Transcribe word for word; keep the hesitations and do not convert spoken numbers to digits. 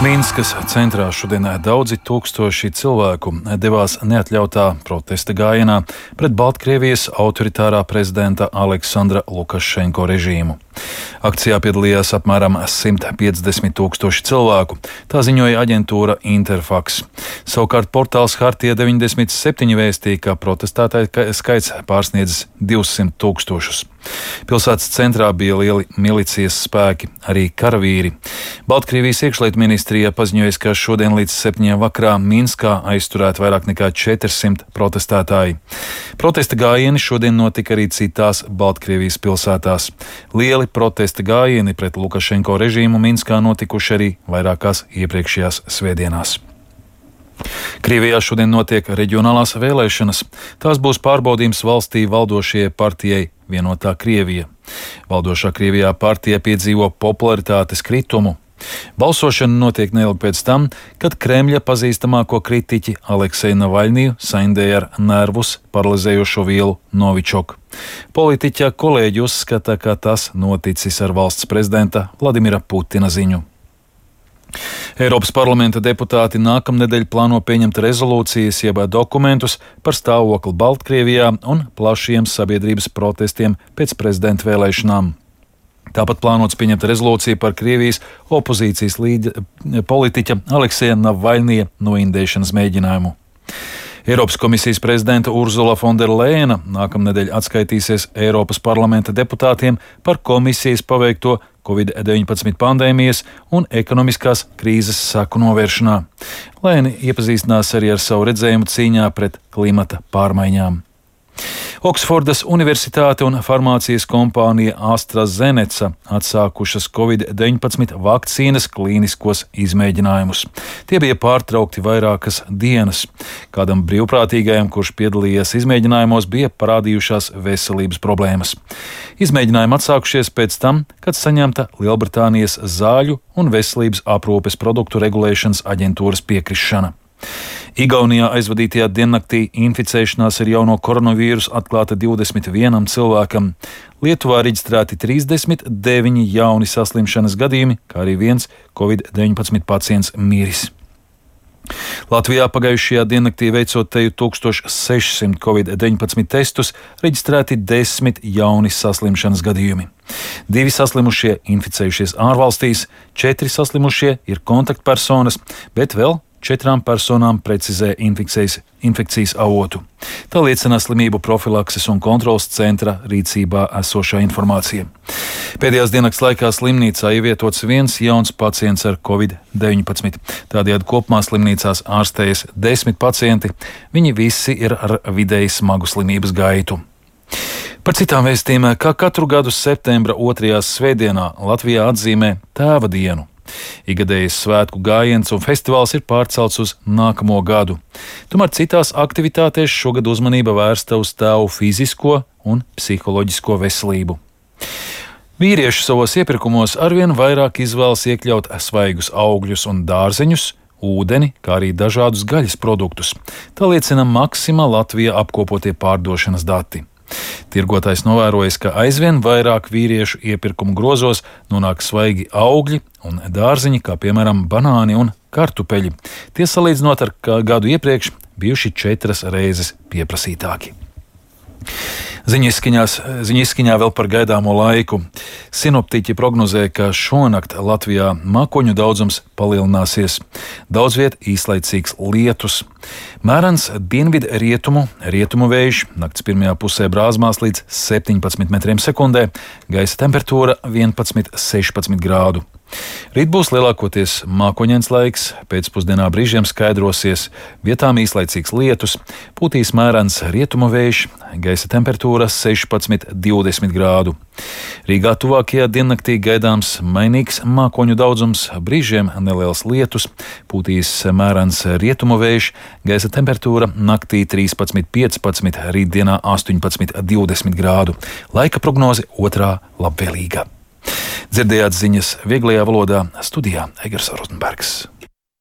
Minskas centrā šodien daudzi tūkstoši cilvēku devās neatļautā protesta gājienā pret Baltkrievijas autoritārā prezidenta Aleksandra Lukašenko režīmu. Akcijā piedalījās apmēram simt piecdesmit tūkstoši cilvēku, tā ziņoja aģentūra Interfax. Savukārt portāls Hartija deviņdesmit septiņi vēstīja, ka protestētāju skaits pārsniedzis divsimt tūkstošus. Pilsētas centrā bija lieli milicijas spēki, arī karavīri. Baltkrievijas iekšlietu ministrija paziņoja, ka šodien līdz septiņiem vakarā Minskā aizturēt vairāk nekā četrsimt protestētāji. Protesta gājieni šodien notika arī citās Baltkrievijas pilsētās. Lieli protesta gājieni pret Lukašenko režīmu Minskā notikuši arī vairākās iepriekšējās svētdienās. Krievijā šodien notiek reģionālās vēlēšanas. Tās būs pārbaudījums valstī valdošajai partijai Vienotā Krievija. Valdošā Krievijā partija piedzīvo popularitātes kritumu. Balsošana notiek neilgi pēc tam, kad Kremļa pazīstamāko kritiķi Alekseju Navaļniju saindēja ar nervus paralizējošo vielu Novičoku. Politiķa kolēģi uzskata, ka tas noticis ar valsts prezidenta Vladimira Putina ziņu. Eiropas parlamenta deputāti nākamnedēļ plāno pieņemt rezolūcijas jeb dokumentus par stāvokli Baltkrievijā un plašiem sabiedrības protestiem pēc prezidenta vēlēšanām. Tāpat plānots pieņemt rezolūciju par Krievijas opozīcijas līdera politiķa Alekseja Navaļnija noindēšanas mēģinājumu. Eiropas komisijas prezidenta Urzula Fonderlejena nākamnedēļ atskaitīsies Eiropas parlamenta deputātiem par komisijas paveikto covid deviņpadsmit pandēmijas un ekonomiskās krīzes seku novēršanā. Lēni iepazīstinās arī ar savu redzējumu cīņā pret klimata pārmaiņām. Oksfordas Universitāte un farmācijas kompānija AstraZeneca atsākušas covid deviņpadsmit vakcīnas klīniskos izmēģinājumus. Tie bija pārtraukti vairākas dienas. Kādam brīvprātīgajam, kurš piedalījies izmēģinājumos, bija parādījušās veselības problēmas. Izmēģinājumi atsākušies pēc tam, kad saņemta Lielbritānijas zāļu un veselības aprūpes produktu regulēšanas aģentūras piekrišana. Igaunijā aizvadītajā diennaktī inficēšanās ar jauno koronavīrusu atklāta divdesmit vienam cilvēkam. Lietuvā reģistrēti trīsdesmit deviņi jauni saslimšanas gadījumi, kā arī viens covid deviņpadsmit pacients miris. Latvijā pagājušajā diennaktī veicot teju tūkstoš sešsimt covid deviņpadsmit testus, reģistrēti desmit jauni saslimšanas gadījumi. Divi saslimušie inficējušies ārvalstīs, četri saslimušie ir kontaktpersonas, bet vēl četrām personām precizē infekcijas, infekcijas avotu. Tā liecina slimību profilakses un kontrolas centra rīcībā esošā informācija. Pēdējās diennakts laikā slimnīcā ievietots viens jauns pacients ar covid deviņpadsmit. Tādējādi kopumā slimnīcās ārstējas desmit pacienti. Viņi visi ir ar vidēji smagu slimības gaitu. Par citām vēstījumiem, kā katru gadu septembra otrajā svētdienā Latvijā atzīmē Tēva dienu. Ikgadējais svētku gājiens un festivāls ir pārcelts uz nākamo gadu. Tomēr citās aktivitātēs šogad uzmanība vērsta uz tēvu fizisko un psiholoģisko veselību. Vīrieši savos iepirkumos arvien vairāk izvēlas iekļaut svaigus augļus un dārzeņus, ūdeni, kā arī dažādus gaļas produktus. Tā liecina Maxima Latvijā apkopotie pārdošanas dati. Tirgotājs novērojis, ka aizvien vairāk vīriešu iepirkumu grozos nonāk svaigi augļi un dārziņi, kā piemēram banāni un kartupeļi. Tie salīdzinot ar gadu iepriekš bijuši četras reizes pieprasītāki. Ziņiskiņā vēl par gaidāmo laiku. Sinoptiķi prognozē, ka šonakt Latvijā mākoņu daudzums palielināsies. Daudz viet īslaicīgs lietus. Mērens dienvidu rietumu, rietumu vējš, nakts pirmajā pusē brāzmās līdz septiņpadsmit metriem sekundē, gaisa temperatūra vienpadsmit līdz sešpadsmit grādu. Rīt būs lielākoties mākoņains laiks, pēcpusdienā brīžiem skaidrosies, vietām īslaicīgs lietus, pūtīs mērens rietumu vējš, gaisa temperatūra sešpadsmit līdz divdesmit grādu. Rīgā tuvākajā diennaktī gaidāms mainīgs mākoņu daudzums, brīžiem neliels lietus, pūtīs mērens rietumu vējš, gaisa temperatūra naktī trīspadsmit līdz piecpadsmit, rītdienā astoņpadsmit līdz divdesmit grādu. Laika prognoze otrā labvēlīga. Dzirdējāt ziņas vieglajā valodā, studijā Egers Rozenbergs.